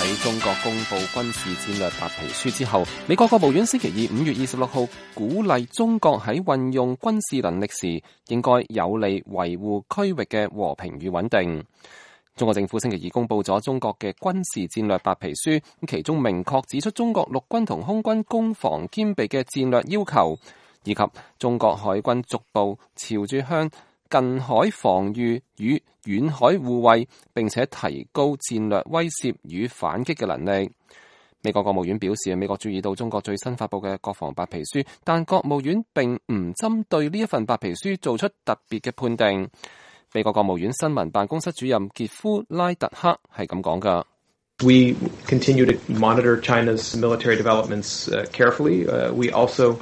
喺中國公布軍事戰略白皮書之後，美國國務院星期二5月26號鼓勵中國喺運用軍事能力時，應該有利維護區域嘅和平與穩定。中國政府星期二公布咗中國嘅軍事戰略白皮書，其中明確指出中國陸軍同空軍攻防兼備嘅戰略要求，以及中國海軍逐步朝住向近海防禦與遠海護衛，並且提高戰略威懾與反擊嘅能力。美國國務院表示，美國注意到中國最新發佈嘅國防白皮書，但國務院並唔針對呢一份白皮書做出特別嘅判定。美國國務院新聞辦公室主任傑夫拉特克係咁講㗎。We continue to monitor China's military developments carefully. We also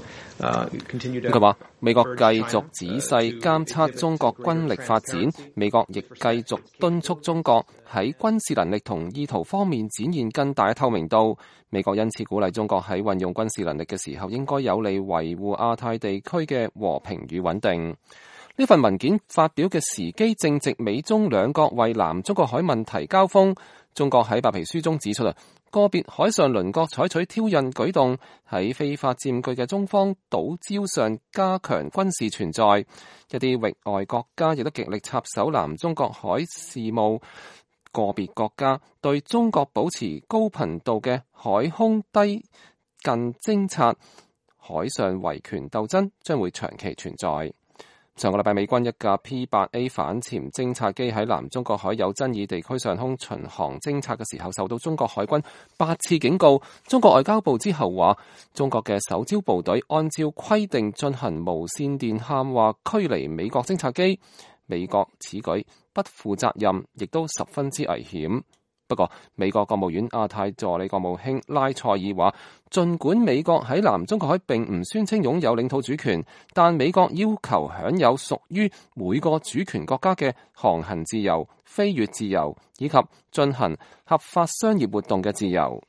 continue to. 佢話美國繼續仔細監測中國軍力發展，美國亦繼續敦促中國喺軍事能力同意圖方面展現更大嘅透明度。美國因此鼓勵中國喺運用軍事能力嘅時候，應該有利維護亞太地區嘅和平與穩定。呢份文件發表嘅時機正值美中兩國為南中國海問題交鋒。中國喺白皮書中指出個別海上鄰國採取挑釁舉動，喺非法佔據嘅中方島礁上加強軍事存在。一啲域外國家亦都極力插手南中國海事務。個別國家對中國保持高頻度嘅海空低近偵察，海上維權鬥爭將會長期存在。上個禮拜，美軍一架 P-8A 反潛偵察機喺南中國海有爭議地區上空巡航偵察嘅時候，受到中國海軍8次警告。中國外交部之後話，中國嘅首招部隊按照規定進行無線電喊話驅離美國偵察機。美國此舉不負責任，亦都十分之危險。不過，美國國務院亞太助理國務卿拉塞爾話，儘管美國喺南中國海並唔宣稱擁有領土主權，但美國要求享有屬於每個主權國家嘅航行自由、飛越自由以及進行合法商業活動嘅自由。